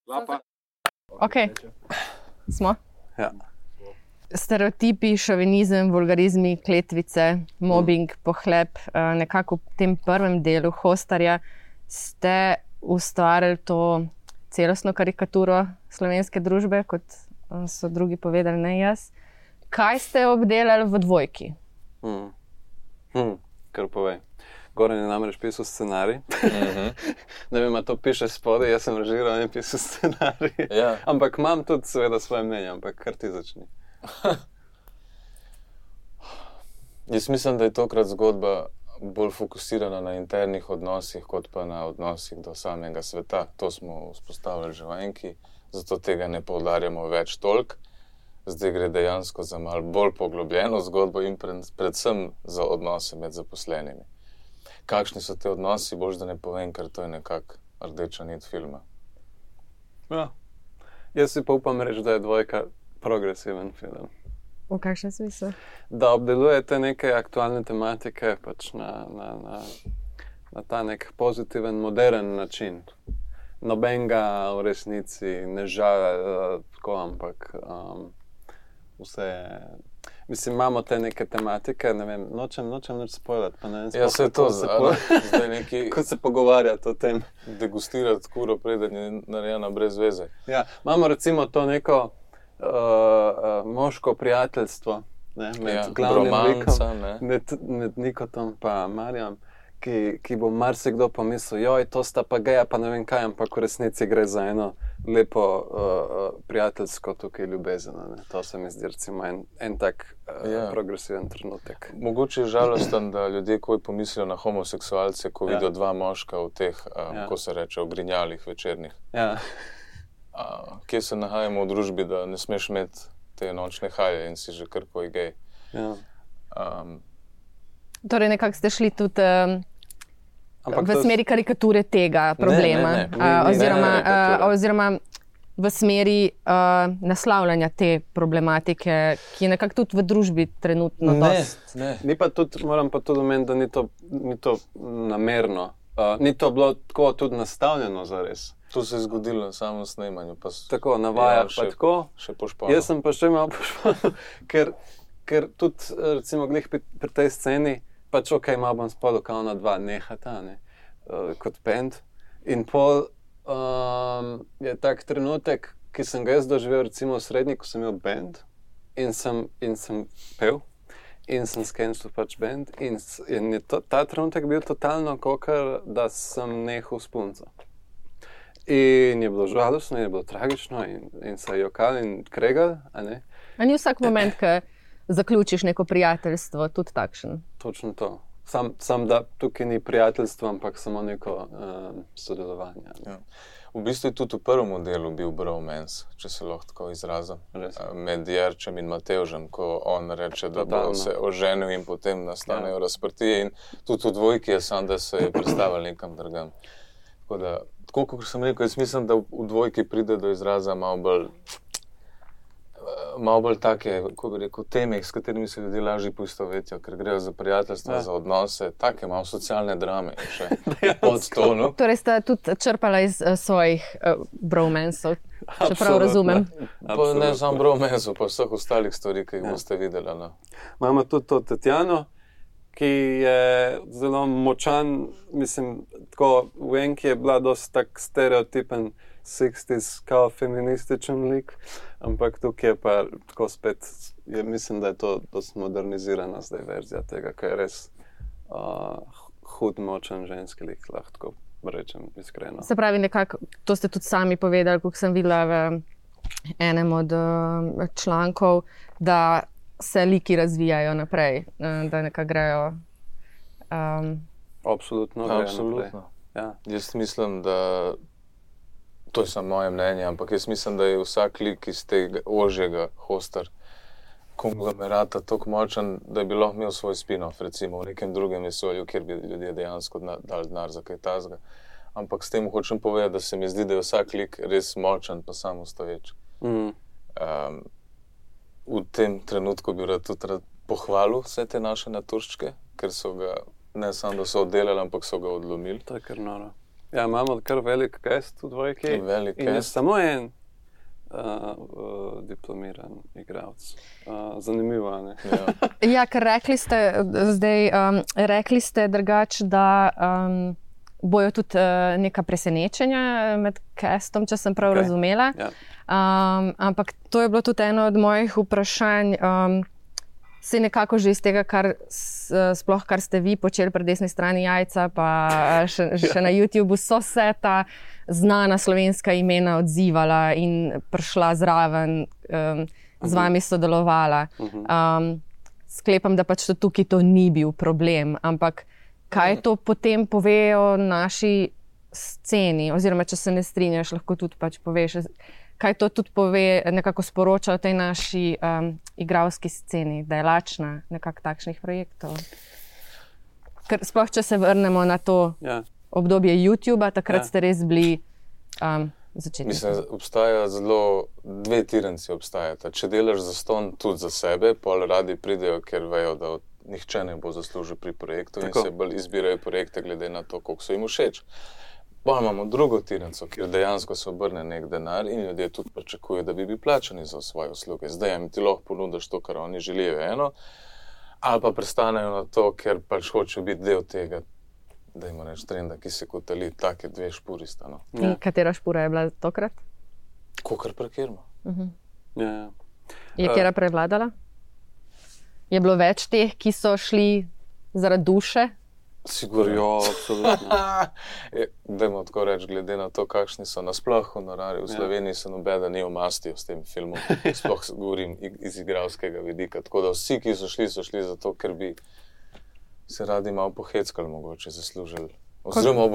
Lapa. Ok, smo. Ja. Stereotipi, šovinizem, vulgarizmi, kletvice, mobbing, pohlep. Nekako v tem prvem delu Hostarja ste ustvarili to celostno karikaturo slovenske družbe, kot so drugi povedali, ne jaz. Kaj ste obdelali v Dvojki? Kar povej. Goran je namreč pisal scenarij. Ne vem, a to piše spodaj, jaz sem režiral in pisal scenarij. Ja. Ampak imam tudi seveda svoje mnenje, ampak kar ti začni. Jaz mislim, da je tokrat zgodba bolj fokusirana na internih odnosih, kot pa na odnosih do samega sveta. To smo vzpostavili že v Enki, zato tega ne poudarjamo več toliko. Zdaj gre dejansko za malo bolj poglobljeno zgodbo in predvsem za odnose med zaposlenimi. Kakšni so te odnosi, boš da ne povem, ker to je nekako rdeča nit filma. Ja. Jaz si pa upam reči, da je Dvojka progresiven film. V kakšnem smislu? Da obdelujete neke aktualne tematike pač na ta nek pozitiven, modern način. Nobenega v resnici ne žal tako, ampak vse je... Mislim, imamo te neke tematike, ne vem, nočem nič spoilati, pa ne vem, Ja, se to zdaj neki ko se pogovarjati o tem. degustirati kuro, preden je narejena brez veze. Ja, imamo recimo to neko moško prijateljstvo, ne, med glavnim romanca, likom, med Nikotom pa Marjam, ki bo marsikdo pomislil, joj, to sta pa geja, pa ne vem kaj, ampak v resnici gre za eno lepo prijateljsko tukaj ljubezen. Ne. To se mi zdi recimo en tak progresiven trenutek. Mogoče je žalosten, da ljudje ko pomislijo na homoseksualce, ko vidijo dva moška v teh, ko se reče, ogrinjalih večernih. Ja. Kje se nahajamo v družbi, da ne smeš imeti te nočne haje in si že kar koji gej. Ja. Torej, nekako ste šli tudi Ampak v smeri karikature tega problema. Ne. Oziroma v smeri naslavljanja te problematike, ki je nekako tudi v družbi trenutno dosti. Ne. Ni pa tudi, moram pa tudi omeniti, da ni to namerno. Ni to bilo tako tudi nastavljeno zares. To se je zgodilo na samem snemanju. Pa Tako, na vajah pa tako. Še po španu. Jaz sem pa še malo po španu, ker tudi, recimo, glih pri tej sceni, pač ok, malo bom spodal, kao na dva nehata, ne, kot band. In pol je tak trenutek, ki sem ga jaz doživel recimo v srednji, ko sem imel band in sem pel in sem skenčil pač band in je ta trenutek bil totalno kakor, da sem nehal s punco. In je bilo žalostno, in je bilo tragično in se je jokal in kregal, a ne? A ni vsak moment, ko zaključiš neko prijateljstvo, tudi takšen? Točno to. Sam da tukaj ni prijateljstvo, ampak samo neko sodelovanje. Ja. V bistvu je tudi v prvem delu bil bromance, če se lahko tako izrazim, med Jerčem in Matevžem, ko on reče, da bo se oženil in potem nastanejo razprtije in tudi v Dvojki je sam, da se je predstavil nekam drugam. Tako kot sem rekel, jaz mislim, da v Dvojki pride do izraza malo bolj take, kako bi rekel, teme, s katerimi se ljudje lažje poistovetijo, ker grejo za prijateljstva, za odnose, take malo socialne drame še pod stolu. Torej ste tudi črpala iz svojih bromansov, če prav razumem. Pa ne samo bromansov, pa vseh ostalih stvari, ki jih boste videli. No. Imamo tudi to Tatjano, ki je zelo močan, mislim, tako v Enki je bila dosti tak stereotipen 60s kao feminističen lik, ampak tukaj je pa tako spet, mislim, da je to dosti modernizirana zdaj verzija tega, ki je res hud, močan ženski lik, lahko rečem iskreno. Se pravi, nekako, to ste tudi sami povedali, kako sem videla v enem od člankov, da se liki razvijajo naprej, da nekako grejo. Absolutno. Ja. Jaz mislim, da to je samo moje mnenje, ampak jaz mislim, da je vsak lik iz tega ožjega Hostar konglomerata toliko močan, da bi lahko imel svoj spin-off, recimo v nekem drugem vesolju, kjer bi ljudje dejansko dali denar za kaj takega. Ampak s tem hočem povedati, da se mi zdi, da je vsak lik res močan pa samostoječ. V tem trenutku bi tudi rad pohvalil vse te naše naturščke, ker so ga, ne samo da so oddelali, ampak so ga odlomili. To je kar noro. Ja, imamo kar velik cast v dvojki. Velik in je cast. samo en diplomiran igralec. Zanimivo, ne? Ja. Ja, ker rekli ste drugače, da bojo tudi neka presenečenja med castom, če sem prav razumela. Ja. Ampak to je bilo tudi eno od mojih vprašanj. Se nekako že iz tega, sploh kar ste vi počeli pri desni strani Jajca, pa še na YouTubu, so se ta znana slovenska imena odzivala in prišla zraven, z vami sodelovala. Sklepam, da pač tukaj to ni bil problem, ampak kaj to potem pove o naši sceni, oziroma če se ne strinjaš, lahko tudi pač poveš, kaj to tudi pove, nekako sporoča o tej naši igralski sceni, da je lačna nekako takšnih projektov. Ker sploh, če se vrnemo na to obdobje YouTuba, takrat ste res bili začetniki. Mislim, obstaja zelo dve tiranci obstajata. Če delaš zastonj tudi za sebe, pol radi pridejo, ker vejo, da nihče ne bo zaslužil pri projektu in se bolj izbirajo projekte glede na to, koliko so jim všeč. Pa imamo drugo tiranco, kjer dejansko se obrne nek denar in ljudje tudi pričakujejo, da bi bili plačani za svoje usluge. Zdaj jim ti lahko ponudiš to, kar oni želijo eno, ali pa prestanejo na to, ker pač hočejo biti del tega, da ima neč trenda, ki se kotali, take dve špuri sta. No. In katera špura je bila tokrat? Kakor prekirmo. Je katera prevladala? Je bilo več teh, ki so šli zaradi duše? Sigurno. Jo, absolutno. Dajmo tako reči, glede na to, kakšni so nasploh honorarji. V Sloveniji se nobeden ni omastil s tem filmom. Sploh govorim iz igralskega vidika. Tako da vsi, ki so šli zato, ker bi se radi malo poheckali, mogoče zaslužili. Oziroma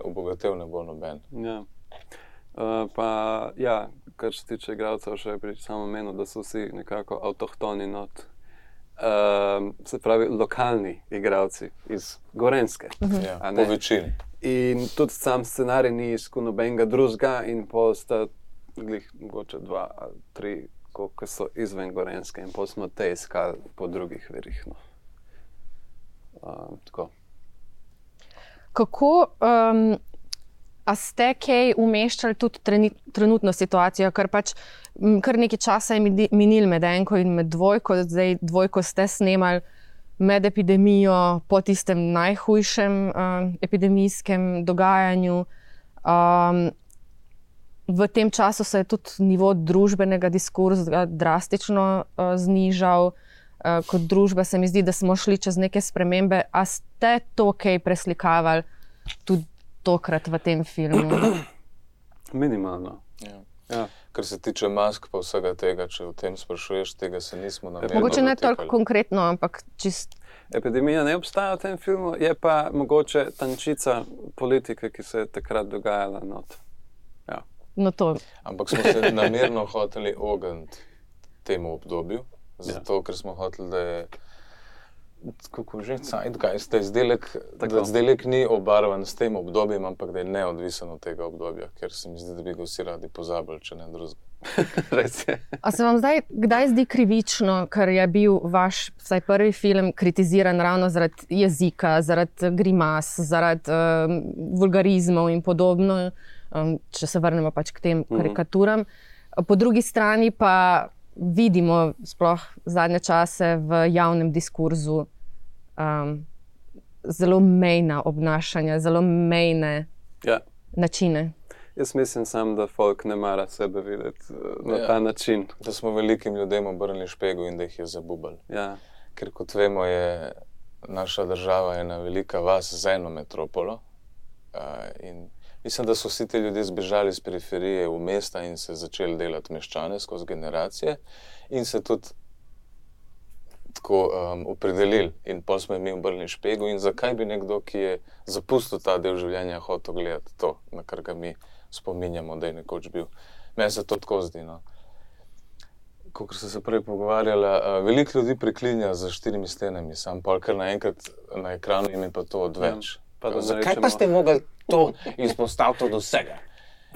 obogatev ne bo noben. Ja. Kar se tiče igralcev, še pri samem menu, da so vsi nekako avtohtoni not. Se pravi, lokalni igralci iz Gorenjske. Po večini. In tudi sam scenarij ni iskal nobenega drugega in pol sta glih mogoče 2 ali 3, koliko so izven Gorenjske in pol smo te iskali po drugih verih. No. Tako. Kako a ste kaj umeščali tudi trenutno situacijo, ker pač kar nekaj časa je minil med enko in med dvojko, zdaj dvojko ste snemali med epidemijo, po tistem najhujšem epidemijskem dogajanju. V tem času se je tudi nivo družbenega diskurza drastično znižal. Kot družba se mi zdi, da smo šli čez neke spremembe. A ste to kaj preslikavali tudi tokrat v tem filmu? Minimalno. Ja. Kar se tiče mask pa vsega tega, če o tem sprašuješ, tega se nismo namerno mogoče ne dotikali. toliko konkretno, ampak čist... Epidemija ne obstaja v tem filmu, je pa mogoče tančica politike, ki se je takrat dogajala not. Ja. No to. Ampak smo se namerno hoteli ogniti temu obdobju, zato ker smo hoteli, da je kako že, zeitgeist, da izdelek ni obarvan s tem obdobjem, ampak da je neodvisen od tega obdobja, ker se mi zdi, da bi ga vsi radi pozabili, če ne drugega. Res je. A se vam zdaj kdaj zdi krivično, ker je bil vaš vsaj prvi film kritiziran ravno zaradi jezika, zaradi grimas, zaradi vulgarizmov in podobno, če se vrnemo pač k tem karikaturam. Po drugi strani pa vidimo sploh zadnje čase v javnem diskurzu zelo mejna obnašanja, zelo mejne načine. Jaz mislim sam, da folk ne mara sebe videti na ta način. Da smo velikim ljudem obrnili špego in da jih je zabubali. Ja. Ker kot vemo, je naša država ena velika vas z eno metropolo. In mislim, da so vsi ti ljudje zbežali z periferije v mesta in se začeli delati meščane skozi generacije in se tudi tako opredelili. In pol smo jim obrnili špego in zakaj bi nekdo, ki je zapustil ta del življenja, hotel gledati to, na kar ga mi spominjamo, da je nekoč bil. Meni se to tako zdi, no. Kakor sem se prej pogovarjala, veliko ljudi preklinja za 4 stenami, sam pol, ker naenkrat na ekranu jim je pa to odveč. Zakaj pa ste mogli to izpostaviti od vsega?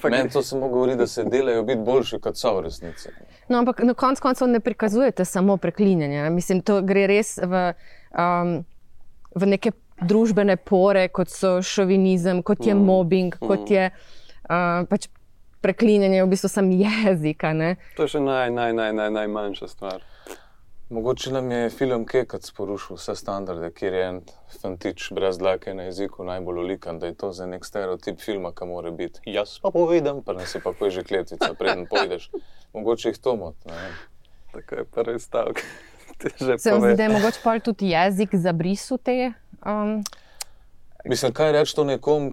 Meni to samo govori, da se delajo biti boljši, kot so v resnici. No, ampak na koncu koncev ne prikazujete samo preklinjanje. Mislim, to gre res v neke družbene pore, kot so šovinizem, kot je mobbing, kot je pač preklinjanje v bistvu sam jezika. Ne? To je še najmanjša stvar. Mogoče nam je film Kekac porušil vse standarde, kjer je en fantič brez dlake na jeziku najbolj olikan, da je to za nek stereotip filma, ki mora biti. Jaz pa povedem, pa ne se pa koji že kletvica, preden pojdeš. Mogoče jih to mot. Tako je prvi stavek. Se vam zdi, da je mogoče pol tudi jezik zabrisu te? Mislim, kaj reči to nekom,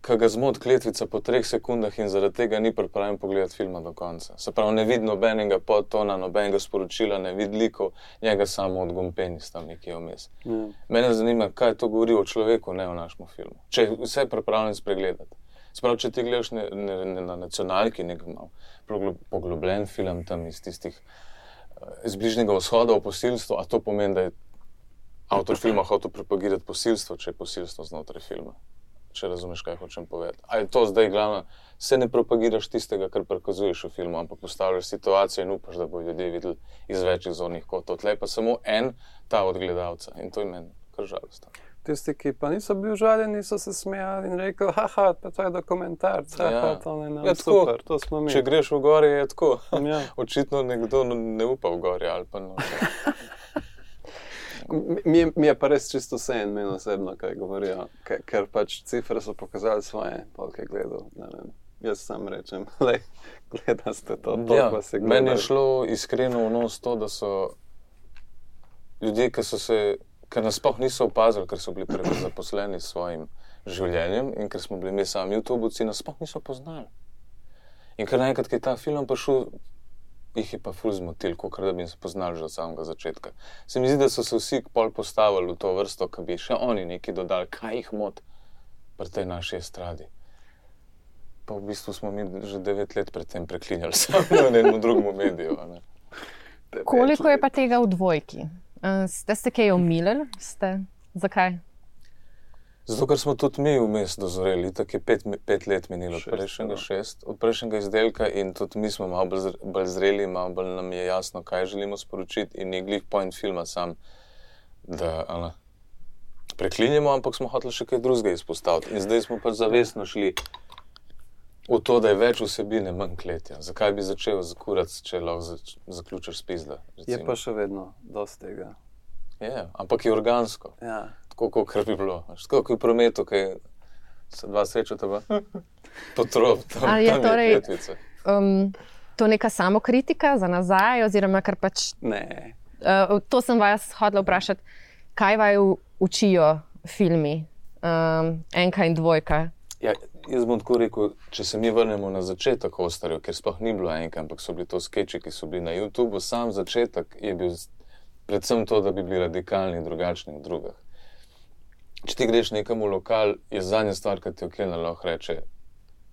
ki ga zmot kletvica po 3 sekundah in zaradi tega ni pripravljen pogledati filma do konca. Se pravi, ne vidi nobenega podtona, nobenega sporočila, ne vidi likov, njega samo odgompeni tam nekje vmes. Mene zanima, kaj to govori o človeku, ne o našem filmu. Če je vse pripravljen spregledati. Se pravi, če ti gledaš na nacionalki nek malo poglobljen film tam iz tistih iz Bližnjega vzhoda o posilstvu, a to pomeni, da je avtor filma hotel propagirati posilstvo, če je posilstvo znotraj filma. Če razumeš, kaj hočem povedati. A je to zdaj glavno, se ne propagiraš tistega, kar prikazuješ v filmu, ampak postavljaš situacijo in upaš, da bodo ljudje videli iz večjih zornih kotov. Tle pa samo en ta od gledalca in to je meni kar žalostno. Tisti, ki pa niso bili užaljeni, so se smejali in rekli, haha, pa to je dokumentarc, to je super, to smo mi. Če greš v gori, je tako. Očitno nekdo ne upa v gori ali pa noče. Mi je pa res čisto vse in meni osebno, kaj govorijo, ker pač cifre so pokazali svoje, polke gledal, ne vem. Jaz sam rečem, gleda ste to, pa se gledali. Meni je šlo iskreno v nos to, da so ljudje, ki nas sploh niso opazili, ker so bili preveč zaposleni s svojim življenjem in ker smo bili mi sami YouTubovci, nas sploh niso poznali. In ker naenkrat, ki je ta film prišel, jih je pa ful zmotil, kakor da bi se poznali že od samega začetka. Se mi zdi, da so se vsi pol postavili v to vrsto, ki bi še oni nekaj dodali, kaj jih mot pri tej naši estradi. Pa v bistvu smo mi že 9 let pred tem preklinjali samo na enem drugem mediju. Koliko je pa tega v Dvojki? Ste kaj omilili? Zakaj? Zato, ker smo tudi mi vmes dozoreli, tako je 5 let minilo od prejšnjega 6, od prejšnjega izdelka in tudi mi smo malo bolj zreli, malo bolj nam je jasno, kaj želimo sporočiti in je glih point filma sam, da preklinjamo, ampak smo hoteli še kaj drugega izpostaviti. In zdaj smo pač zavestno šli v to, da je več vsebine, manj kletja. Zakaj bi začel zakurati, če lahko zaključiš spizda? Je pa še vedno dosti tega. Je, ampak je organsko. Ja. Tako, kar bi bilo. Tako, kot v prometu, kaj se dva srečata, pa potrop, tam je kletvica. To neka samokritika za nazaj, oziroma kar pač... Ne. To sem vas hodila vprašati, kaj vaju učijo filmi, Enka in Dvojka? Ja, jaz bom tako rekel, če se mi vrnemo na začetek Hostarjev, ker sploh ni bilo Enka, ampak so bili to skeči, ki so bili na YouTubeu, sam začetek je bil predvsem to, da bi bili radikalni in drugačni od drugih. Če ti greš nekam v lokal, je zadnja stvar, ki ti okelna lahko reče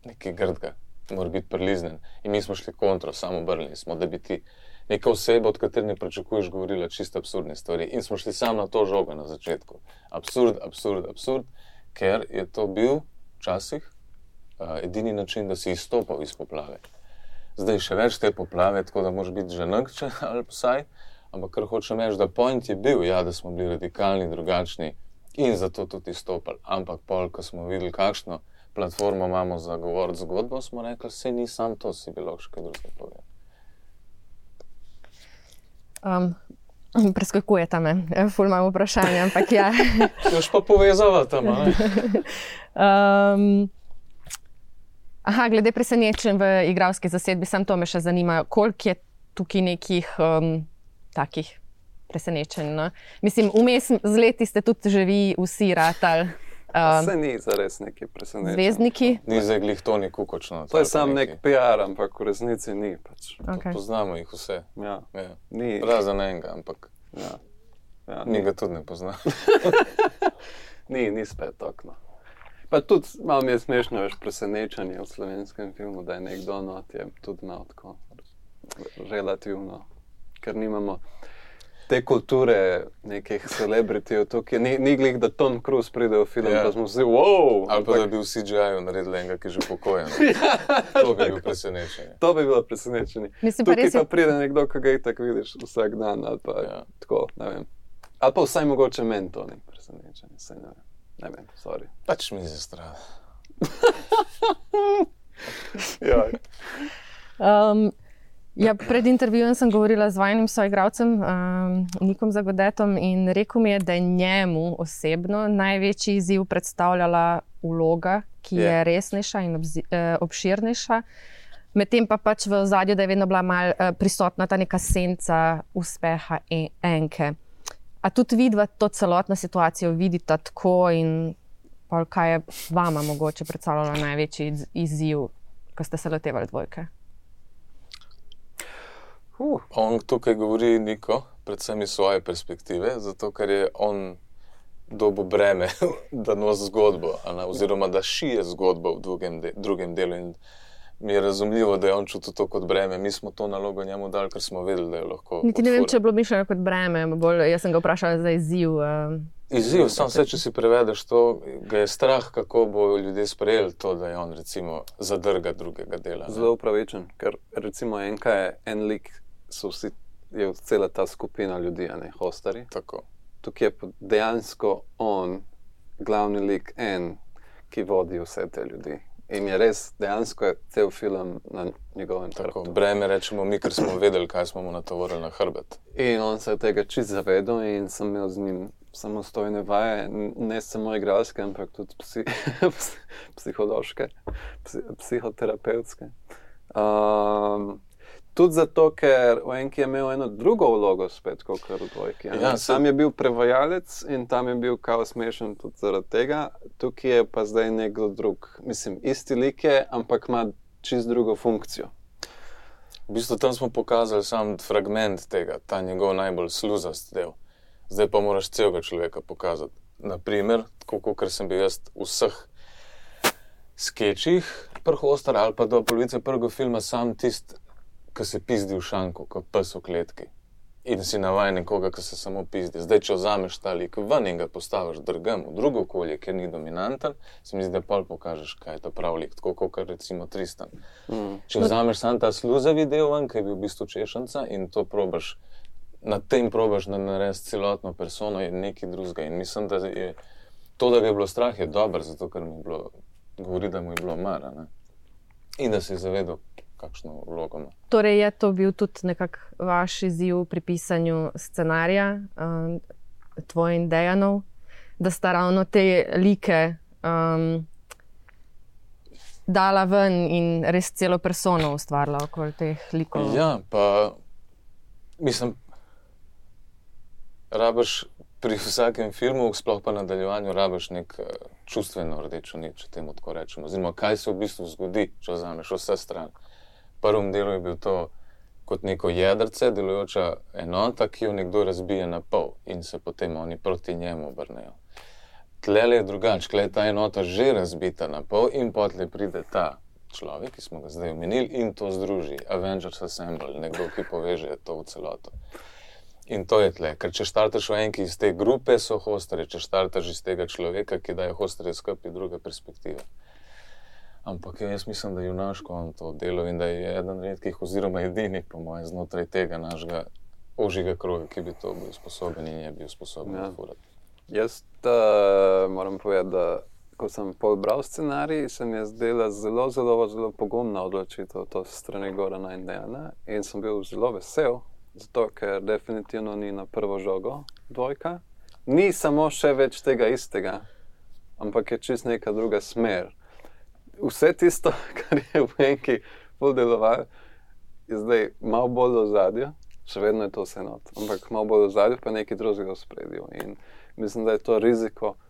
nekaj grdga, mora biti priliznen. In mi smo šli kontro, samo obrnili smo, da bi ti neka oseba, od katere ne pričakuješ, govorila čisto absurdne stvari. In smo šli samo na to žogo na začetku. Absurd, ker je to bil včasih edini način, da si izstopal iz poplave. Zdaj še več te poplave, tako da moraš biti ženakče ali vsaj, ampak kar hočem reči, da point je bil, ja, da smo bili radikalni, drugačni in zato tudi izstopali. Ampak pol, ko smo videli, kakšno platformo imamo za govoriti zgodbo, smo rekli, saj ni sam to, si bilo še kaj drugega povedati. Preskakujeta me, ful imam vprašanje, ampak ja. Još pa povezava tam, glede presenečenj v igralski zasedbi, sam to me še zanima, koliko je tukaj nekih takih presenečenj, no? Mislim, vmes z leti ste tudi že vi vsi ratali. Se ni zares neki presenečenj. Zvezdniki? Ni zdaj glih to ni kukočno. To je sam nek PR, ampak v resnici ni pač. Okay. Poznamo jih vse. Ja. Ni. Razen enega, ampak mi ga tudi ne pozna. Ni spet okno. Pa tudi malo mi je smešno več presenečenje v slovenskem filmu, da je nekdo not je tudi malo tako relativno, ker nimamo te kulture nekih celebritijev tukaj. Ni glih, da Tom Cruise pride v film, pa smo vsi, wow! Ali pa da bi v CGI-ju naredili enega, ki je že pokojen. To bi bil presenečenje. To bi bilo presenečenje. Tukaj pa pride nekdo, ki ga itak vidiš vsak dan, ali pa tako, ne vem. Ali pa vsaj mogoče meni to ni presenečenje, saj ne vem, sorry. Pač mi se strada. Ja. Ja, pred intervjujem sem govorila z vajnim soigralcem, Nikom Zagodetom, in rekel mi je, da je njemu osebno največji izziv predstavljala vloga, ki je resnejša in obširnejša. Medtem pa pač v ozadju, da je vedno bila malo prisotna ta neka senca uspeha enke. A tudi vidva to celotno situacijo vidita tako in pol kaj je vama mogoče predstavljalo največji izziv, ko ste se lotevali dvojke? On tukaj govori Niko, predvsem iz svoje perspektive, zato ker je on dobil breme, da nosi zgodbo, oziroma da šije zgodbo v drugem delu in mi je razumljivo, da je on čutil to kot breme. Mi smo to nalogo njemu dali, ker smo vedeli, da je lahko Niti ne vem, če je bilo mišljeno kot breme, jaz sem ga vprašala za izziv. Izziv, samo vse, če si prevedeš to, ga je strah, kako bo ljudje sprejeli to, da je on recimo zadrga drugega dela. Zelo upravičen, ker recimo enka je en lik, je cela ta skupina ljudi, hostarji. Tako. Tukaj je dejansko on, glavni lik, ki vodi vse te ljudi. In je res, dejansko je cel film na njegovem hrbtu. Breme rečemo mi, ker smo vedeli, kaj smo mu natovorili na hrbet. In on se je tega čisto zavedal in sem imel z njim samostojne vaje, ne samo igralske, ampak tudi psihološke, psihoterapevtske. Tudi zato, ker v enki je imel eno drugo vlogo spet, kot v dvojki. Ja, tam je bil prevajalec in tam je bil kao smešen tudi zaradi tega. Tukaj je pa zdaj nekdo drug. Mislim, isti lik je, ampak ima čist drugo funkcijo. V bistvu tam smo pokazali sam fragment tega, ta njegov najbolj sluzast del. Zdaj pa moraš celega človeka pokazati. Naprimer, tako kot sem bil jaz v vseh skečih Hostar ali pa do polovice prvega filma sam tisti, ki se pizdi v šanku, kot pes v kletki. In si navajen nekoga, ki se samo pizdi. Zdaj, če vzameš ta lik ven in ga postaviš drugam v drugo okolje, kjer ni dominanten, se mi zdi, da pol pokažeš, kaj je to prav lik, tako kot recimo Tristan. Če vzameš sam ta sluzavi del ven, ki je bil v bistvu češnca in to probaš, na tem probaš narediti celotno persono in nekaj drugega. In mislim, da je to, da ga je bilo strah, je dobro, zato ker mi je bilo, govori, da mu je bilo mar, ne? In da si je zavedal, kakšno vlogo ima. Torej je to bil tudi nekak vaš izziv pri pisanju scenarija, tvoj in Dejanov, da sta ravno te like dala ven in res celo persono ustvarila okoli teh likov. Ja, pa mislim, rabiš pri vsakem filmu, sploh pa nadaljevanju, rabiš nek čustveno rdečo nit, če temu tako rečemo. Oziroma, kaj se v bistvu zgodi, če vzameš vse strani. V prvem delu je bil to kot neko jedrce, delujoča enota, ki jo nekdo razbije na pol in se potem oni proti njemu obrnejo. Tlele je drugače, tle je ta enota že razbita na pol in potlej pride ta človek, ki smo ga zdaj omenili, in to združi. Avengers Assemble, nekdo, ki poveže to v celoto. In to je tle, ker če štartaš v enki iz te grupe, so hostarji, če štartaš iz tega človeka, ki daje hostarje skupaj druge perspektive. Ampak jaz mislim, da je junaško on to delo in da je eden redkih oziroma edini, po mojem, znotraj tega našega ožjega kroga, ki bi to bil sposoben in je bil sposoben furati. Jaz moram povedati, da ko sem bral scenarij, se mi je zdela zelo pogumna odločitev to strani Gorana in Dejana in sem bil zelo vesel, zato ker definitivno ni na prvo žogo dvojka. Ni samo še več tega istega, ampak je čist neka druga smer. Vse tisto, kar je v enki bolj delovalo, je zdaj malo bolj v ozadju, še vedno je to vse not, ampak malo bolj v ozadju, pa nekaj drugega v spredju. In mislim, da je to riziko,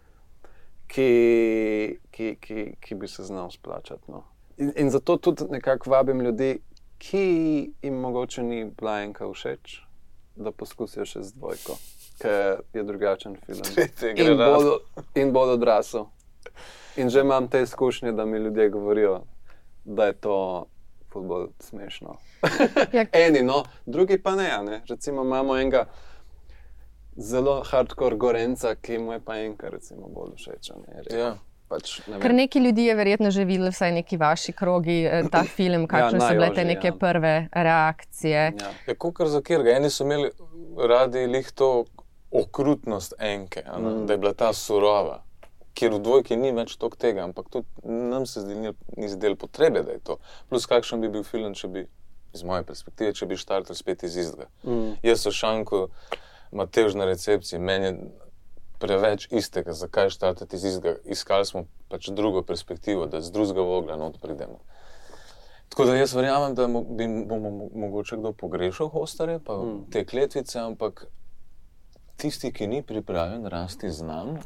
ki bi se znal splačati. No. In zato tudi nekako vabim ljudi, ki jim mogoče ni bila enka všeč, da poskusijo še z dvojko, ker je drugačen film. In bolj odrasel. In že imam te izkušnje, da mi ljudje govorijo, da je to bolj smešno. Eni, no, drugi pa ne. Recimo imamo enega zelo hardcore Gorenca, ki mu je pa enka recimo bolj všeč. Ja. Pač, Ker neki ljudi je verjetno že videli, vsaj neki vaši krogi, ta film, kakšne so bile te neke prve reakcije. Ja, kakor za kjerga. Eni so imeli radi lih to okrutnost enke, da je bila ta surova, kjer v dvojki ni več toliko tega, ampak tudi nam se ni zdelo potrebe, da je to. Plus kakšen bi bil film, če bi, iz moje perspektive, če bi štartal spet iz istega. Jaz so Šanko Matevž na recepciji, meni je preveč istega, zakaj štartati iz istega. Iskali smo pač drugo perspektivo, da z drugega vogla not pridemo. Tako da jaz verjamem, da bomo mogoče kdo pogrešal Hostarje, pa te kletvice, ampak tisti, ki ni pripravljen rasti z nami,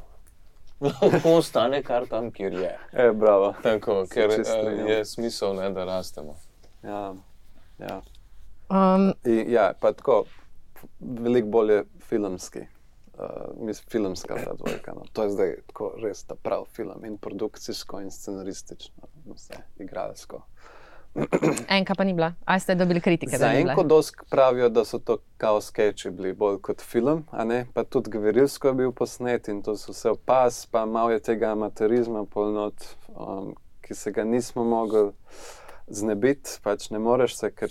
lahko ostane kar tam, kjer je. Bravo. Tako, ker je smisel, ne, da rastemo. Ja. Ja, pa tako, veliko bolje filmski. Filmska ta dvojka. No. To je zdaj tako res ta prav film. In produkcijsko, in scenaristično, vse, igralsko. Enka pa ni bila. Ali ste dobili kritike, da ni bila? Za enko dosk pravijo, da so to kao skeči bili bolj kot film, a ne? Pa tudi gverilsko je bil posnet in to so vse opaz, pa malo je tega amaterizma polnot, ki se ga nismo mogli znebiti, pač ne moreš se, ker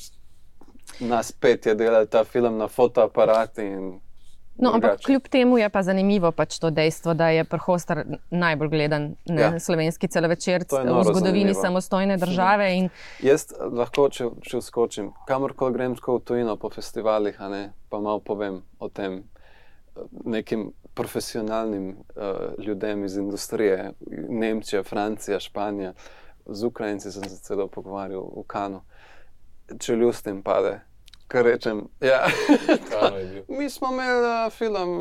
nas 5 je delal ta film na fotoaparati in no, ampak kljub temu je pa zanimivo pač to dejstvo, da je Hostar najbolj gledan slovenski celovečer v zgodovini samostojne države. In jaz lahko, če vskočim, kamorkoli grem tako v tujino po festivalih, a ne, pa malo povem o tem nekim profesionalnim ljudem iz industrije, Nemčija, Francija, Španija, z Ukrajinci sem se celo pogovarjal v Kanu. Če ljustim pade, kar rečem, ja, mi smo imeli film,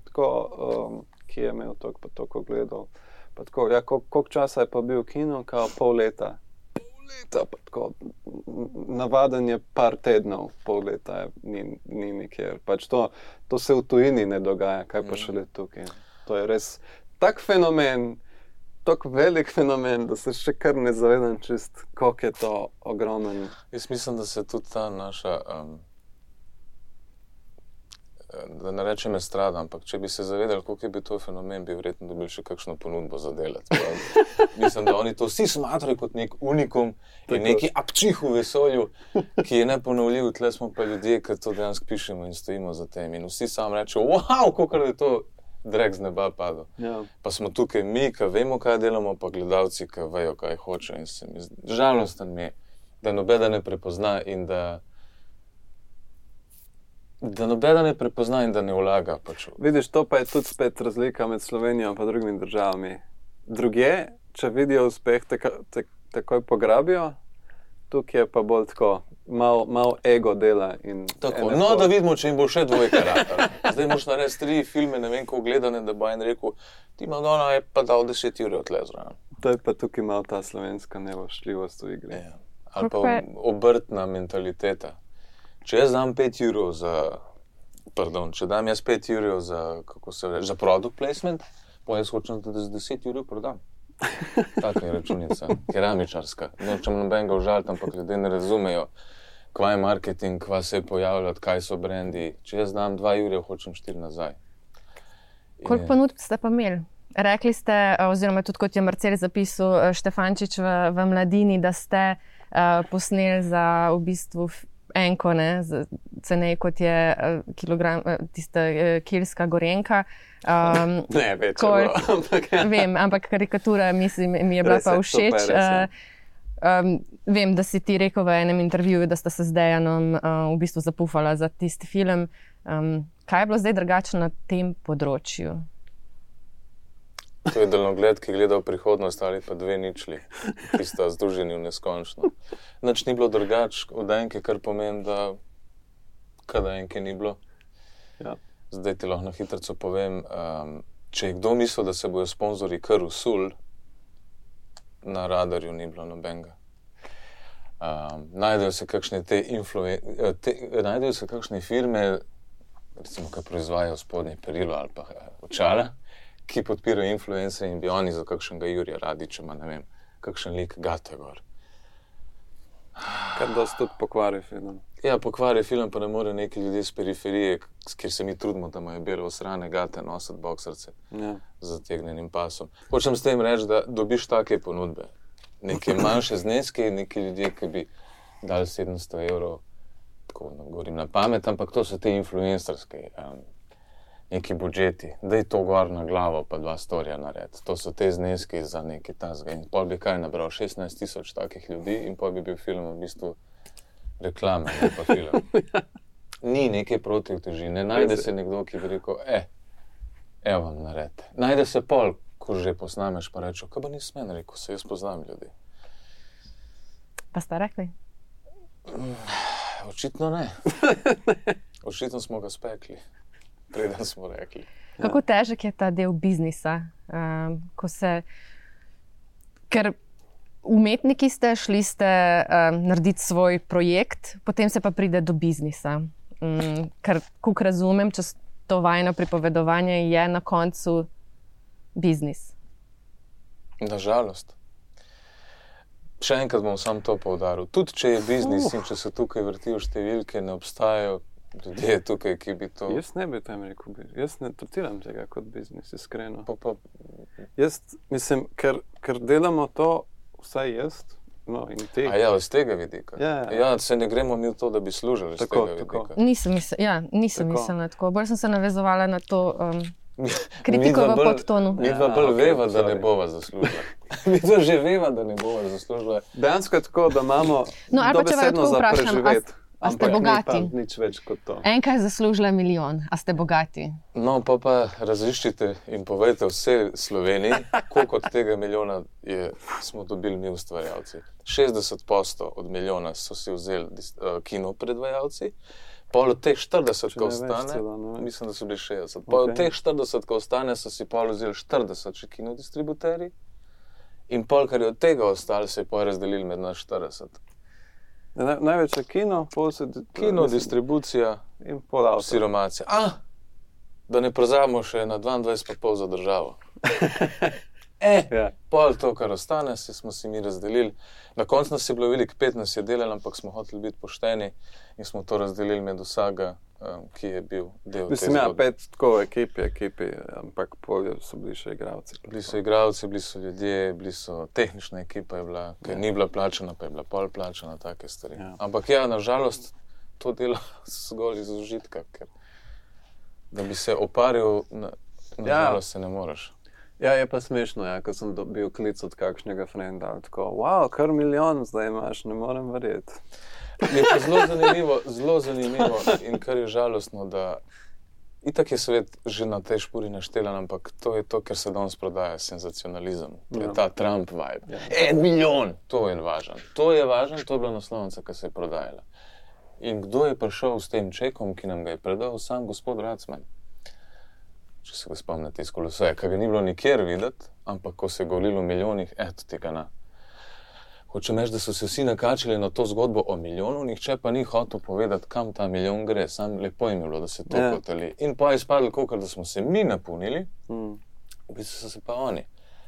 tako, ki je imel toliko pa toliko gledal, pa tako, ja, koliko časa je pa bil v kinu, kao pol leta, pa tako, navaden je par tednov, pol leta ni nikjer, pač to se v tujini ne dogaja, kaj pa šele tukaj, to je res tak fenomen, tako velik fenomen, da se še kar ne zavedam čist, koliko je to ogromen. Jaz mislim, da se tudi ta naša, da ne rečem estrada, ampak če bi se zavedali, koliko je bil to fenomen, bi verjetno dobili še kakšno ponudbo za delati. Mislim, da oni to vsi smatrajo kot nek unikum in neki apčih v vesolju, ki je neponovljiv. Tle smo pa ljudje, ki to dejansko pišemo in stojimo za tem. In vsi sam rečejo, wow, koliko je to drek z neba padel. Ja. Pa smo tukaj mi, ki vemo, kaj delamo, pa gledalci, ki vejo, kaj hoče. In se mi žalosten mi je, da nobeda ne prepozna in da nobeda ne prepozna in da ne vlaga. Pač. Vidiš, to pa je tudi spet razlika med Slovenijo in pa drugimi državami. Drugje, če vidijo uspeh, takoj pograbijo, tukaj je pa bolj tako, malo ego dela. In tako, no, da vidimo, če jim bo še dvojka rata. Zdaj moš narediti 3 filme, ne vem, koliko gledane, da bo en rekel, ti Madonna je pa dal 10 ur odle zraven. To je pa tukaj malo ta slovenska nevošljivost v igri. Ja. Ali pa obrtna mentaliteta. Če jaz dam 5 ur če dam jaz 5 ur za product placement, pa jaz hočem, da z 10 ur prodam. Taka je računica, keramičarska. Nočem nobenega užaliti, ampak ljudje ne razumejo, kva je marketing, kva se je pojavljati, kaj so brendi. Če jaz dam 2 ure, hočem 4 nazaj. Koliko ponudb ste pa imeli? Rekli ste, oziroma tudi kot je Marcel zapisal Štefančič v Mladini, da ste posneli za v bistvu enko, ne, cenej kot je kilogram, tista kilska gorenka. Ne, več je bilo. Vem, ampak karikatura mislim, mi je bila pa všeč. Vem, da si ti rekel v enem intervjuju, da sta se z Dejanom v bistvu zapufala za tisti film. Kaj je bilo zdaj drugače na tem področju? To je daljnogled, ki gleda v prihodnost ali pa 2 ničli, ki sta združeni v neskončno. Nič ni bilo drugače od enke, kar pomeni, da kada enke ni bilo. Ja. Zdaj ti lahko na hitrico povem, če je kdo mislil, da se bojo sponzorji kar usul, na radarju ni bilo nobenega. Najdejo se kakšne firme, recimo, ki proizvajajo spodnje perilo ali pa očala, ki podpirajo influencerje in bi oni za kakšnega Jurija Radića, ne vem, kakšen lik gate gor. Kar dosti tudi pokvari film. Ja, pokvari film, pa ne more neki ljudje z periferije, kjer se mi trudimo, da imajo belo osrane gate nositi boksarce z zategnenim pasom. Hočem s tem reči, da dobiš take ponudbe. Neke manjše zneske, neki ljudje, ki bi dali 700 €, tako govorim na pamet, ampak to so te influencerske. neki budžeti, da je to gor na glavo, pa 2 storija narediti. To so te zneski za neki tasga. In pol bi kaj nabral, 16,000 takih ljudi in pol bi bil film v bistvu reklame, ne pa film. Ni neke protivteži, ne najde se nekdo, ki bi rekel, evo vam naredite. Najde se pol, ko že posnameš, pa rečo, kaj pa nisem men rekel, se jaz poznam ljudi. Pa ste rekli? Očitno ne. Očitno smo ga spekli, preden smo rekli. Kako težek je ta del biznisa, ker umetniki ste, šli ste narediti svoj projekt, potem se pa pride do biznisa. Ker, kako razumem, čez to vajno pripovedovanje je na koncu biznis. Nažalost. Še enkrat bom sam to poudaril. Tudi če je biznis in če se tukaj vrtijo številke, ne obstajajo ljudje tukaj, ki bi to... Jaz ne bi tam rekel, jaz ne tretiram tega kot biznis, iskreno. Pa. Jaz mislim, ker delamo to, vsaj jaz, no in ti. A ja, z tega vidika. Ja, se ne gremo mi v to, da bi služili z tega vidika. Nisem mislila tako. Bolj sem se navezovala na to kritiko v podtonu. Midva bolj veva, da ne bova zaslužila. Midva že veva, da ne bova zaslužila. Dejansko je tako, da imamo dobesedno za preživeti. A ste bogati? Nič več kot to. Enkrat zaslužila 1 milijon, a ste bogati? No, pa raziščite in povejte vse Sloveniji, koliko od tega milijona smo dobili mi ustvarjalci. 60% od milijona so si vzeli kinopredvajalci, pol od teh 40, ko ostane, mislim, da so bili 60, pol od teh 40, ko ostane, so si pol vzeli 40 še kinodistributerji in pol, kar je od tega ostalo, se je pol razdelili med nas 40. Največ je kino, kino, distribucija in pol avto. Siromacija. Da ne prozabimo še na 22,5 za državo. Pol to, kar ostane, smo si mi razdelili. Na koncu nas je bilo veliko, 15 je delali, ampak smo hoteli biti pošteni in smo to razdelili med vsega, ki je bil del te zgodbe. 5 tako ekipi, ampak pol so bili še igralci. Bili so igralci, bili so ljudje, tehnična ekipa je bila, ker ni bila plačana, pa je bila pol plačana, take stvari. Ja. Ampak ja, nažalost, to dela zgolj iz užitka, ker da bi se oparil, nažalost se ne moreš. Ja, je pa smešno, ko sem dobil klic od kakšnega frenda, tako, wow, kar 1 milijon zdaj imaš, ne morem verjeti. Je pa zelo zanimivo in kar je žalostno, da itak je svet že na tej špuri naštelan, ampak to je to, ker se danes prodaja senzacionalizem. To je ta Trump vibe. 1 milijon! To je važno. To je bila naslovnica, ki se je prodajala. In kdo je prišel s tem čekom, ki nam ga je predal? Sam gospod Racman. Če se ga spomnite iz Koloseja, ki ga ni bilo nikjer videti, ampak ko se je govorilo o milijonih, tega ne. Hočem reči, da so se vsi nakačili na to zgodbo o milijonu, nihče pa ni hotel povedati, kam ta milijon gre. Sam lepo jim je bilo, da se to hoteli. In pa je izpadlo, kolikor da smo se mi napolnili, v bistvu so se pa oni.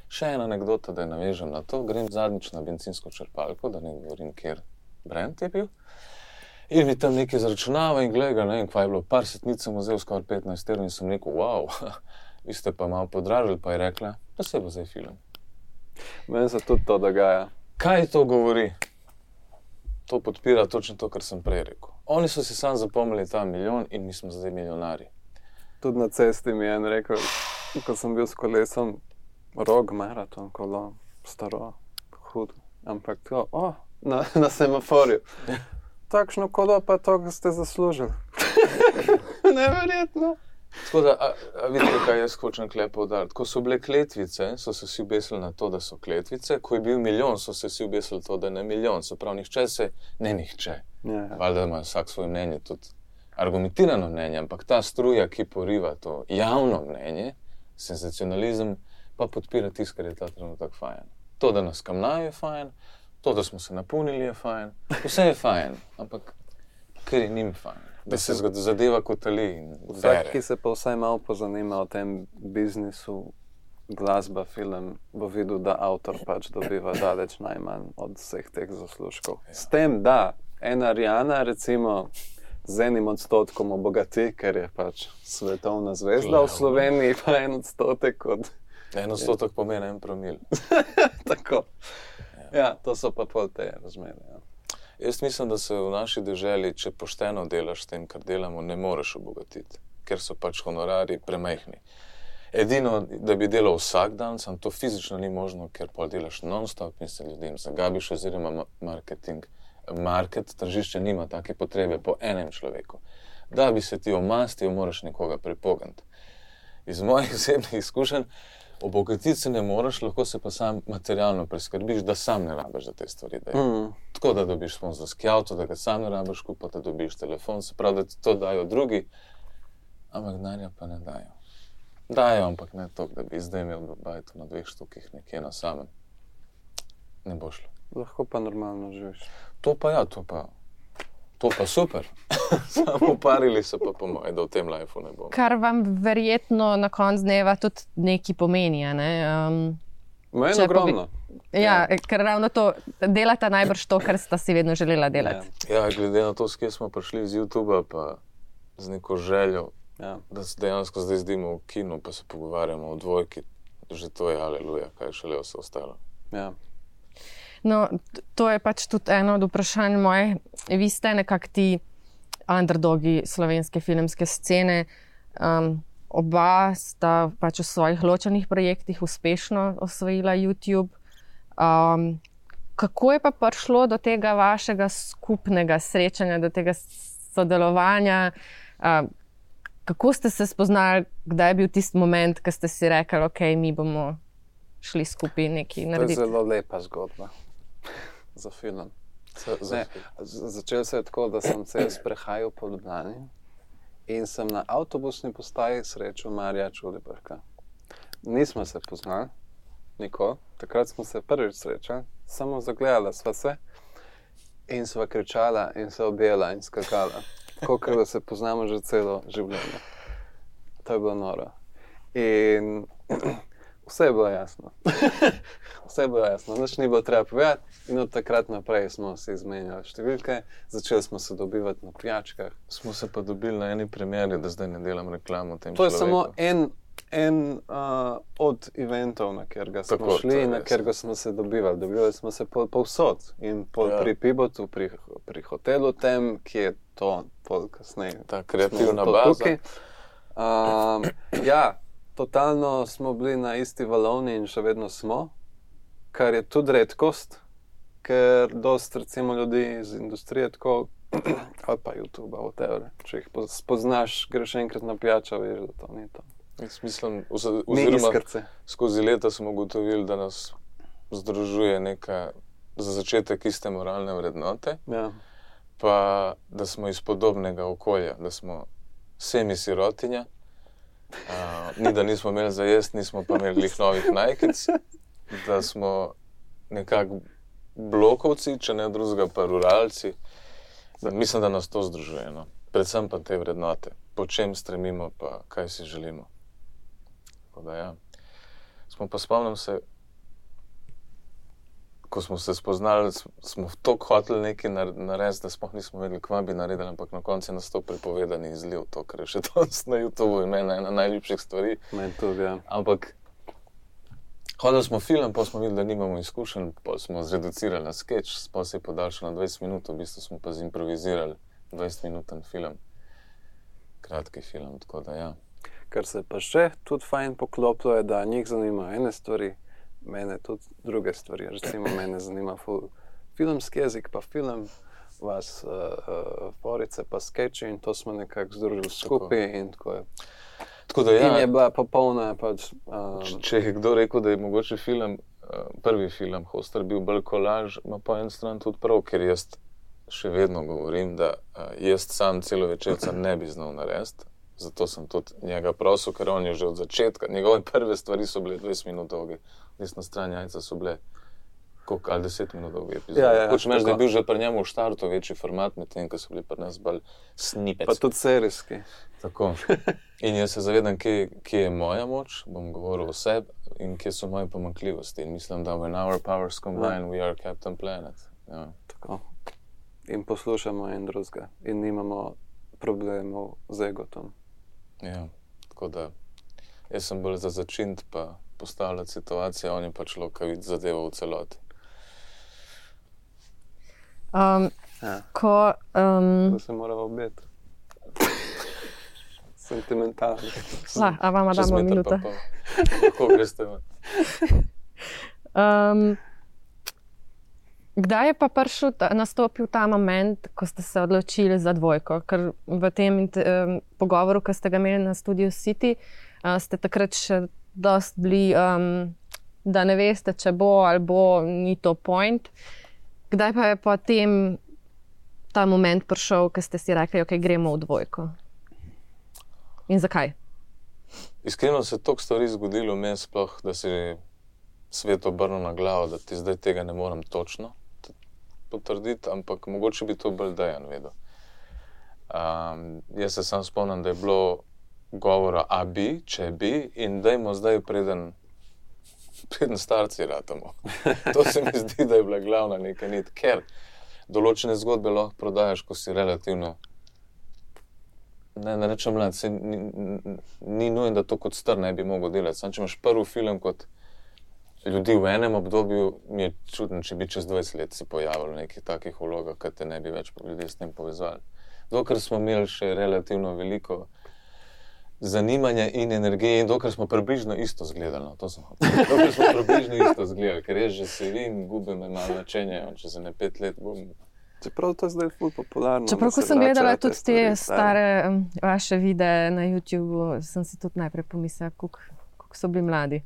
Še ena anekdota, da je navežem na to, grem zadnjič na bencinsko črpalko, da ne govorim, kjer brand je bil. In mi tam nekaj zračunava in gleda, ne vem, kva je bilo, par setnic sem vzel skoraj 15 € in sem rekel, wow, vi ste pa malo podražili, pa je rekla, pa se bo zdaj film. Meni se tudi to dogaja. Kaj to govori? To podpira točno to, kar sem prej rekel. Oni so si sam zapomnili ta 1 milijon in mi smo zdaj milijonari. Tudi na cesti mi je en rekel, ko sem bil s kolesom, rog maraton, kolo, staro, hud, ampak to, na semaforju. Takšno kolo pa to, ko ste zaslužili. Neverjetno. Tako da, vidite, kaj jaz hočem tukaj poudariti. Ko so bile kletvice, so se vsi obesili na to, da so kletvice. Ko je bil 1 milijon, so se vsi obesili to, da je 1 milijon. Se pravi, nihče. Valjda ima vsak svoje mnenje, tudi argumentirano mnenje, ampak ta struja, ki poriva to javno mnenje, senzacionalizem, pa podpira tisto, kar je ta trenutek fajn. To, da nas kamnajo, je fajn, to, da smo se napolnili, je fajn, vse je fajn, ampak ker je njim fajn. Da se zadeva kotali in bere. Vsak, ki se pa vsaj malo pozanima o tem biznisu, glasba, film, bo videl, da avtor pač dobiva daleč najmanj od vseh teh zaslužkov. Ja. S tem, da ena Rihanna, recimo, z 1% obogati, ker je pač svetovna zvezda v Sloveniji, pa 1% od... 1% pomeni 1 promil. Tako. Ja, to so pa pol te razmere, ja. Jaz mislim, da se v naši deželi, če pošteno delaš s tem, kar delamo, ne moreš obogatiti. ker so pač honorari premajhni. Edino, da bi delal vsak dan, sam to fizično ni možno, ker pol delaš non-stop in se ljudem zagabiš, oziroma tržišče nima take potrebe po enem človeku. Da bi se ti omastil, moraš nekoga pripogant. Iz mojih osebnih izkušenj, obogatiti se ne moraš, lahko se pa sam materialno preskrbiš, da sam ne rabiš za te stvari. Tako da dobiš sponzorski avto, da ga sam ne rabiš kupiti, da dobiš telefon, se pravi, da ti to dajo drugi, ampak denarja pa ne dajo. Dajo, ampak ne to, da bi zdaj imel bajto na 2 štukih nekje na samem. Ne bo šlo. Lahko pa normalno živiš. To pa super. Samo parili se pa po moje, da v tem lifeu ne bomo. Kar vam verjetno na koncu dneva tudi nekaj pomeni, ne? Meni ogromno. Ker ravno to, delata najbrž to, kar sta si vedno želela delati. Ja, glede na to, s kje smo prišli z YouTubea, pa z neko željo, da se dejansko zdaj zdimo v kinu, pa se pogovarjamo o dvojki, že to je aleluja, kaj šele vse ostalo. Ja. No, to je pač tudi eno od vprašanj moje. Vi ste nekako ti underdogi slovenske filmske scene. Oba sta pač v svojih ločenih projektih uspešno osvojila YouTube. Kako je pa prišlo do tega vašega skupnega srečanja, do tega sodelovanja? Kako ste se spoznali, kdaj je bil tisti moment, ko ste si rekli, ok, mi bomo šli skupaj nekaj narediti? To je zelo lepa zgodba za film. Začel se je tako, da sem se sprehajal po Ljubljani in sem na avtobusni postaji srečal Marija Čulibrka. Nismo se poznali, nikoli. Takrat smo se prvič srečali, samo zagledala sva se in sva kričala in se objela in skakala. Tako, da se poznamo že celo življenje. To je bilo noro. In vse je bilo jasno. Vse je bilo jasno. Nič ni bilo treba povedati in od takrat naprej smo se izmenjali številke, začeli smo se dobivati na pijačkah. Smo se pa dobili na eni premieri, da zdaj ne delam reklamo tem človeku. To je samo en od eventov, na katerega smo šli in na katerega smo se dobivali. Dobivali smo se povsod in pri Pibotu, pri hotelu tem, ki je to kasneje. Ta kreativna baza. Totalno smo bili na isti valovni in še vedno smo, kar je tudi redkost, ker dosti recimo ljudi iz industrije tako, ali pa YouTube, whatever, če jih spoznaš, greš enkrat na pijačo, veš, da to ni to. Jaz mislim, oziroma skozi leta smo ugotovili, da nas združuje neka za začetek iste moralne vrednote, pa da smo iz podobnega okolja, da smo semi-sirotinja. Ni, da nismo imeli za jesti, nismo pa imeli glih novih najkic, da smo nekako blokovci, če ne drugega pa ruralci. Mislim, da nas to združuje, no. Predvsem pa te vrednote, po čem stremimo pa kaj si želimo. Tako da ja. Smo pa spomnim se, ko smo se spoznali, smo toliko hoteli nekaj narediti, da sploh nismo vedeli, kva bi naredili, ampak na koncu je nas to prepovedani izliv, to, kar je še danes na YouTubeu in meni ena najljubših stvari. Meni tudi, ja. Ampak hodili smo film, pa smo videli, da nimamo izkušenj, pa smo zreducirali na sketch, pa se je podaljšal na 20 minut, v bistvu smo pa zimprovizirali 20-minuten film. Kratki film, tako da ja. Kar se pa še tudi fajn poklopilo je, da njih zanima ene stvari, mene tudi druge stvari. Recimo, mene zanima filmski jezik, pa film, vas forice, pa skeči in to smo nekako združili skupaj in tako je. Tako da ja. In je bila popolna pač... Če je kdo rekel, da je mogoče film, prvi film Hostar bil bolj kolaž, ima po en stran tudi prav, ker jaz še vedno govorim, da jaz sam celovečerca ne bi znal narediti. Zato sem tudi njega prosil, ker on je že od začetka, njegove prve stvari so bile 20 minut dolge. Desna stran jajca so bile ali 10 minut dolge epizode. Hočem reči, da je bil že pri njemu v štartu večji format, medtem ko so bili pri nas bolj snippets. Pa tudi serijski. Tako. In jaz se zavedam, kje je moja moč, bom govoril o sebi, in kje so moje pomanjkljivosti. In mislim, da when our powers combine, we are Captain Planet. Ja. Tako. In poslušamo en drugega. In nimamo problemov z egotom. Ja, tako da jaz sem bolj za začint pa postavljati situacijo, on je pač lokavit zadevo v celoti. To se mora obeti. Sentimentalno. A vama Čez damo meter minuto. pa pol. Lahko greste ven. Kdaj je pa nastopil ta moment, ko ste se odločili za dvojko? Ker v tem pogovoru, ki ste ga imeli na Studio City, ste takrat še dosti bili, da ne veste, če bo ali bo, ni to point. Kdaj pa je potem ta moment prišel, ko ste si rekli, ok, gremo v dvojko? In zakaj? Iskreno se je toliko stvari zgodilo meni sploh, da se je svet obrnil na glavo, da ti zdaj tega ne morem točno potrditi, ampak mogoče bi to bolj Dejan vedel. Jaz se sam spomnim, da je bilo govora a bi, če bi, in dajmo zdaj preden starci ratamo. To se mi zdi, da je bila glavna neka nit, ker določene zgodbe lahko prodajaš, ko si relativno, ne rečem mlad, ni nujen, da to kot star ne bi mogel delati. Sam, če imaš prvi film kot ljudi v enem obdobju, mi je čudno, če bi čez 20 let se pojavilo v nekih takih vlogah, kad te ne bi več ljudje s tem povezali. Dokler smo imeli še relativno veliko zanimanja in energije in dokler smo približno isto zgledali. Dokler smo približno isto zgledali, ker res že se vim, gube me malo načenje, če za ne 5 let bom... Čeprav to je zdaj ful popularno. Čeprav, ko sem gledala tudi te stare vaše videe na YouTubeu, sem si tudi najprej pomislila, koliko so bili mladi.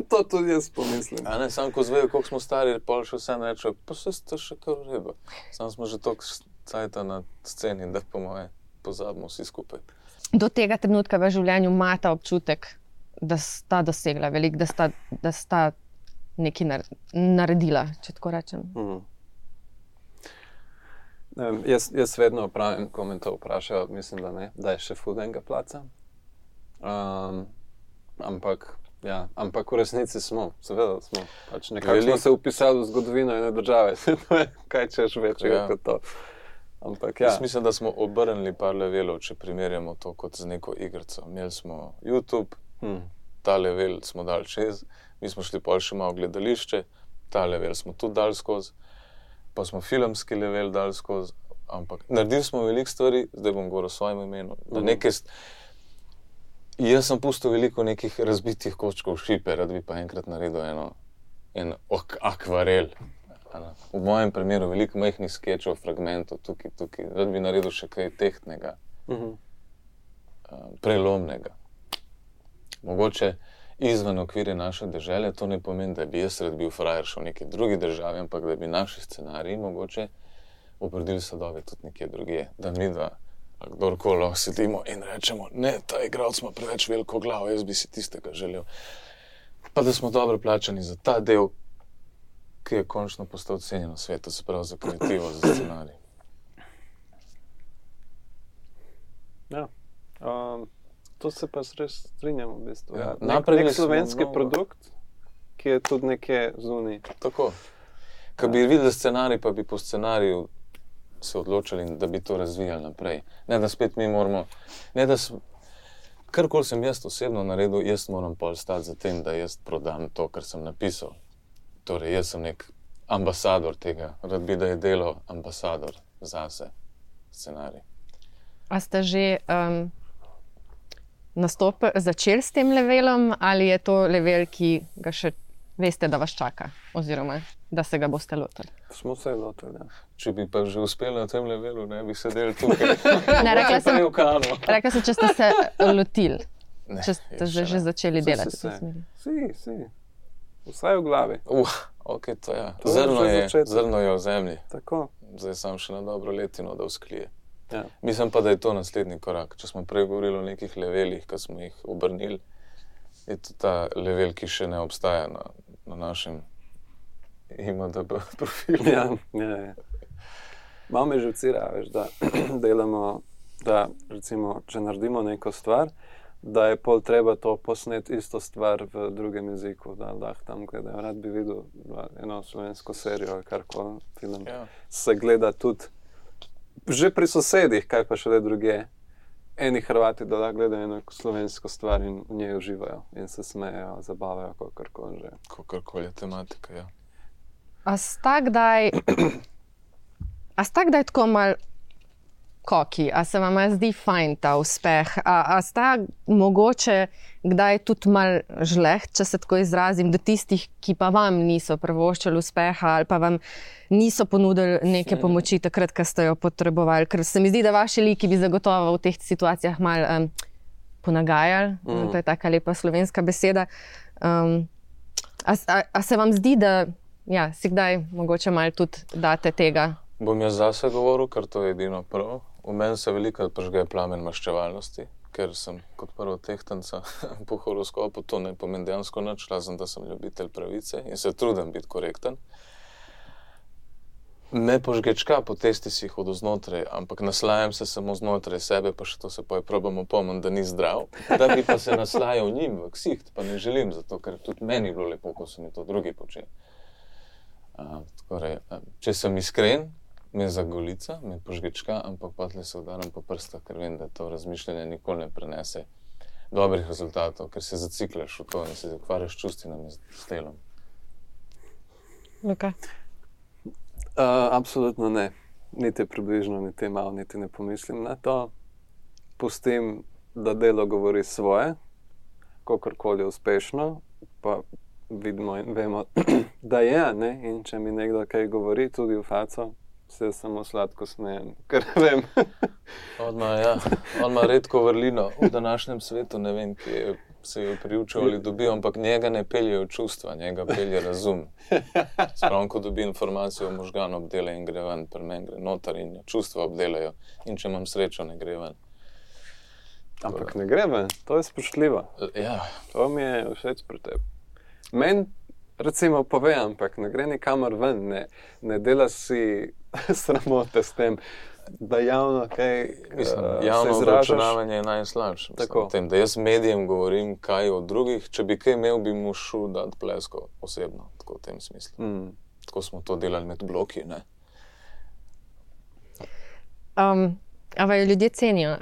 To tudi jaz pomislim. Sam ko zvejo, koliko smo stari, pol še vse rečejo, pa se ste še kar reba. Sam smo že toliko cajta na sceni, da po moje pozabimo vsi skupaj. Do tega trenutka v življenju imate občutek, da sta dosegla veliko, da sta nekaj naredila, če tako rečem. Jaz vedno opravim, ko me to vprašajo, mislim, da ne, da je še ful enega placa. Ampak v resnici smo, seveda smo. Pač nekako smo se upisali v zgodovino ene države. Kaj češ večjega kot to. Ampak Jaz mislim, da smo obrnili par levelov, če primerjamo to kot z neko igrico. Imeli smo YouTube, ta level smo dali čez, mi smo šli pol še malo gledališče, ta level smo tudi dali skozi, pa smo filmski level dali skozi, ampak naredili smo veliko stvari, zdaj bom govoril o svojem imenu, Jaz sem pustil veliko nekih razbitih kočkov šipe, rad bi pa enkrat naredil en akvarel. V mojem primeru veliko majhnih skečov, fragmentov, tukaj, rad bi naredil še kaj tehtnega, prelomnega. Mogoče izven okvirja naše dežele, to ne pomeni, da bi jaz rad bil frajer še v neki drugi državi, ampak da bi naši scenariji mogoče obrodili sadove tudi nekje drugje, da mi dva kdorkoli sedimo in rečemo, ne, ta igralec ima preveč veliko glavo, jaz bi si tistega želel. Pa da smo dobro plačani za ta del, ki je končno postal cenjen v svetu, se pravi za kreativo, za scenarij. Ja, to se pa res strinjamo v bistvu. Ja, nek slovenski produkt, ki je tudi nekje zunaj. Tako. Ko bi videli scenarij, pa bi po scenariju se odločili, da bi to razvijali naprej. Ne, da spet mi moramo, karkoli sem jaz osebno naredil, jaz moram pol stati za tem, da jaz prodam to, kar sem napisal. Torej, jaz sem nek ambasador tega, rad bi, da je delo ambasador zase, scenarij. A ste že začeli s tem levelom, ali je to level, ki ga še veste, da vas čaka, oziroma da se ga boste lotili? Smo se lotili, ja. Če bi pa že uspeli na tem levelu, ne bi sedeli tukaj. Ne, rekla sem, če ste se lotili, če ste že začeli delati v tej smeri. Si. Vsaj v glavi. Ok, to je. Zrno je v zemlji. Tako. Zdaj sam še na dobro letino, da vzklije. Ja. Mislim pa, da je to naslednji korak. Če smo prej govorili o nekih levelih, ki smo jih obrnili, je to ta level, ki še ne obstaja na našem IMDb profilu. Ja. Malo me živcira, veš, da delamo, da recimo, če naredimo neko stvar, da je pol treba to posneti isto stvar v drugem jeziku, da lahko tam gledajo. Rad bi videl eno slovensko serijo ali karkoli film. Ja. Se gleda tudi že pri sosedih, kaj pa še le druge. Eni Hrvati, da lahko gledajo eno slovensko stvar in v njej uživajo in se smejejo, zabavajo, kakorkoli že. Kakorkoli je tematika, ja. A sta kdaj tako mal koki, a se vam zdi fajn ta uspeh, a sta mogoče kdaj tudi mal žleht, če se tako izrazim, do tistih, ki pa vam niso privoščili uspeha ali pa vam niso ponudili neke pomoči takrat, ko ste jo potrebovali, ker se mi zdi, da vaši liki bi zagotovo v teh situacijah mal ponagajali, to je taka lepa slovenska beseda. A se vam zdi, da si kdaj mogoče malo tudi date tega? Bom jaz zase govoril, ker to je edino prav. V meni se veliko prižge plamen maščevalnosti, ker sem kot prvo tehtanca po horoskopu, to ne pomeni dejansko nič, razen da sem ljubitelj pravice in se trudim biti korekten. Me požgečka po testisih od znotraj, ampak naslajam se samo znotraj sebe, pa še to se probamo pomniti, da ni zdrav. Da bi pa se naslajal njim v ksiht, pa ne želim, zato ker tudi meni bilo lepo, ko so mi to drugi počeli. Če sem iskren, me zagolica, me požgečka, ampak potlej se udaram po prstah, ker vem, da to razmišljanje nikoli ne prenese dobrih rezultatov, ker se zaciklaš v to in se ukvarjaš čustvinami s telom. Luka? Absolutno ne. Niti približno, niti malo, niti ne pomislim na to. Pustim, da delo govori svoje, kakorkoli uspešno, pa vidimo in vemo, da je, ne? In če mi nekdo kaj govori, tudi v faco, se samo sladko smejem, ker vem. On ima redko vrlino v današnjem svetu, ne vem, ki se jo priučil ali dobil, ampak njega ne peljejo čustva, njega pelje razum. Spravno, ko dobi informacijo o možganu, obdela in gre ven, pri meni gre noter in čustva obdelajo. In če imam srečo, ne gre ven. Ampak ne gre ven, to je spoštljivo. Ja. To mi je všeč pri tebi. Meni, recimo, pove, ampak ne gre nikamor ven, ne dela si sramote s tem, da javno kaj javno obračunavanje je najslabše. Tem, da jaz medijem govorim kaj o drugih, če bi kaj imel, bi mu šel dati plesko osebno, tako v tem smislu. Tako smo to delali med bloki, ne? A vaju ljudje cenijo?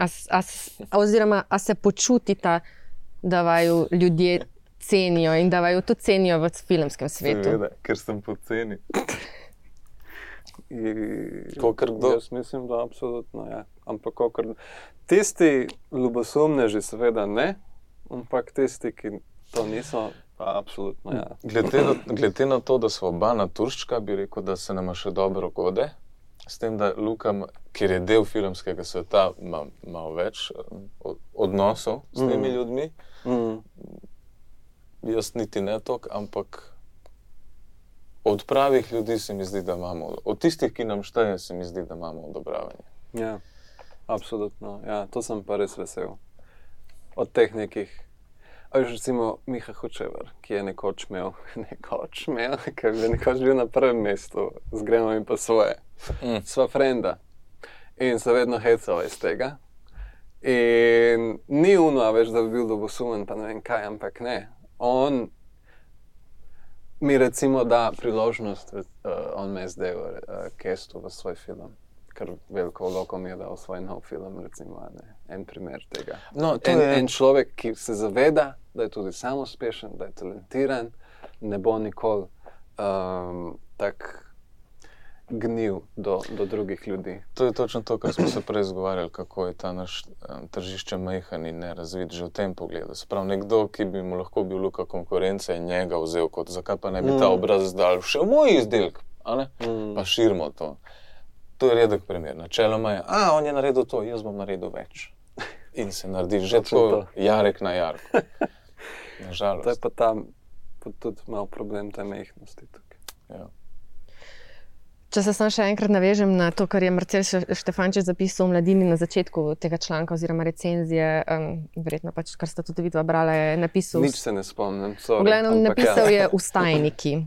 Oziroma, a se počutita, da vaju ljudje cenijo in da vaju tudi cenijo v filmskem svetu? Seveda, ker sem poceni. Kakor kdo? Jaz mislim, da absolutno, ja. Ampak kakor tisti ljubosumneži seveda ne, ampak tisti, ki to niso, pa absolutno, ja. Glede na to, da smo oba naturščka, bi rekel, da se nama še dobro gode. S tem, da Luka, ker je del filmskega sveta, ima malo več odnosov s temi ljudmi. Jaz niti ne toliko, ampak od pravih ljudi se mi zdi, da imamo, od tistih, ki nam šteje, se mi zdi, da imamo odobravanje. Ja, absolutno, ja, to sem pa res vesel. Od teh nekih, recimo Miha Hočevar, ki je nekoč imel, ker je nekoč bil na prvem mestu, z Gremo in pa svoje. Sva frenda in se vedno hecala iz tega. In ni uno več, da bi bil ljubosumen, pa ne vem kaj, ampak ne. On mi recimo da priložnost, on me je zdaj Kestu v svoj film, ker veliko vlogo mi je dal svoj nov film, recimo, en primer tega. No, en človek, ki se zaveda, da je tudi sam uspešen, da je talentiran, ne bo nikoli tak gnil do drugih ljudi. To je točno to, kar smo se prej zgovarjali, kako je ta naš tržišče majhen in nerazvit že v tem pogledu. Se pravi, nekdo, ki bi mu lahko bil Luka konkurenca in njega vzel kot, zakaj pa ne bi ta obraz dal še v moj izdelek, a ne? Pa širimo to. To je redek primer. Načeloma je, on je naredil to, jaz bom naredil več. In se naredi že tako jarek na jarku. Nažalost. To je pa tam tudi malo problem te majhnosti tukaj. Ja. Če se samo še enkrat navežem na to, kar je Marcel Štefančič zapisal v Mladini na začetku tega članka oziroma recenzije, verjetno pač, kar sta tudi vidva brala, je napisal... Nič se ne spomnim, sorry. Vgledno, napisal je Vstajniki.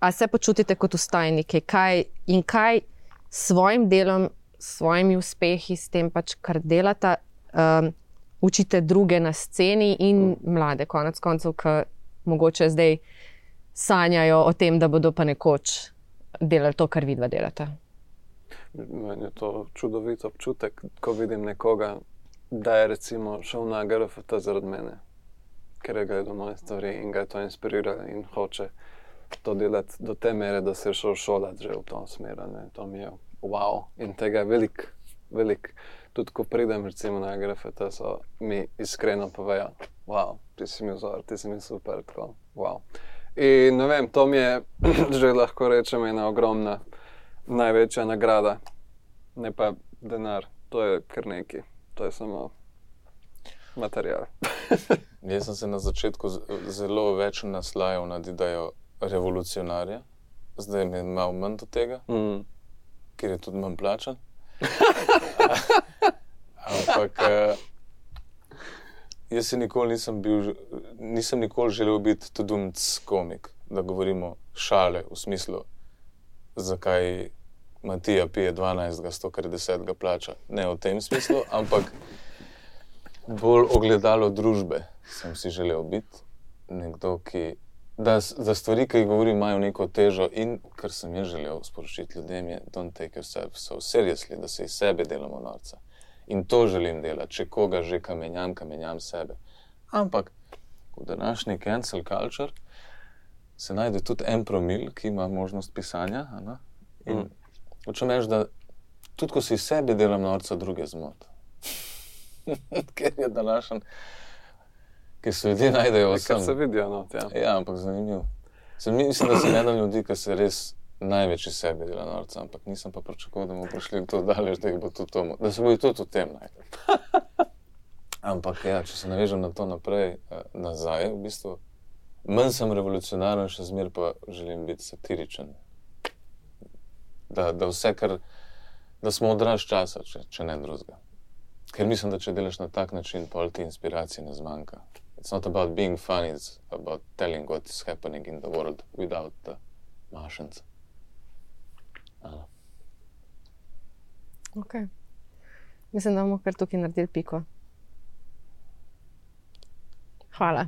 A se počutite kot vstajniki? Kaj s svojim delom, s svojimi uspehi, s tem pač, kar delata, učite druge na sceni in mlade, konec koncev, ki mogoče zdaj sanjajo o tem, da bodo pa nekoč delali to, kar vidva delata. Meni je to čudovit občutek, ko vidim nekoga, da je recimo šel na GRFT zaradi mene, ker je gledal moje stvari in ga je to inspiriralo in hoče to delati do te mere, da se je šel šolati že v to smer. To mi je wow. In tega je veliko. Tudi ko pridem recimo na grafite, so mi iskreno povejo, wow, ti si mi vzor, ti si mi super, tako, wow. In ne vem, to mi je že lahko rečem ena ogromna, največja nagrada, ne pa denar, to je kar neki, to je samo material. Jaz sem se na začetku zelo več naslajal nad idejo revolucionarja, zdaj mi je malo manj do tega, ker je tudi manj plačan. Ampak jaz se nikoli nisem nikoli želel biti tudumc komik, da govorimo šale v smislu, zakaj Matija pije 12, 100, ker 10 plača. Ne v tem smislu, ampak bolj ogledalo družbe sem si želel biti. Nekdo, da stvari, ki jih govorim, imajo neko težo in kar sem jaz želel sporočiti ljudem je don't take yourself so seriously, da se iz sebe delamo norca. In to želim delati, če koga že kamenjam sebe. Ampak v današnji cancel culture se najde tudi en promil, ki ima možnost pisanja. In hočem reči, da tudi ko si iz sebe delam norca, druge zmot. Ker je današnji, ker se ljudje najdejo vsem. Ker se vidijo not, ja. Ja, ampak zanimivo. Mislim, da sem eden ljudi, ki se res največ iz sebe dela norca, ampak nisem pa pričakoval, da bomo prišli to daleč, da jih bo tudi to, da se bojo tudi v tem najdel. Ampak ja, če se navežem na to naprej, nazaj, v bistvu, manj sem revolucionaren, še zmer pa želim biti satiričen. Da vse, da smo odraz časa, če ne drugega. Ker mislim, da če delaš na tak način, pol ti inspiracije ne zmanjka. It's not about being funny, it's about telling what is happening in the world without the Martians. Ok. Mislim, da bomo kar tukaj naredili piko. Hvala.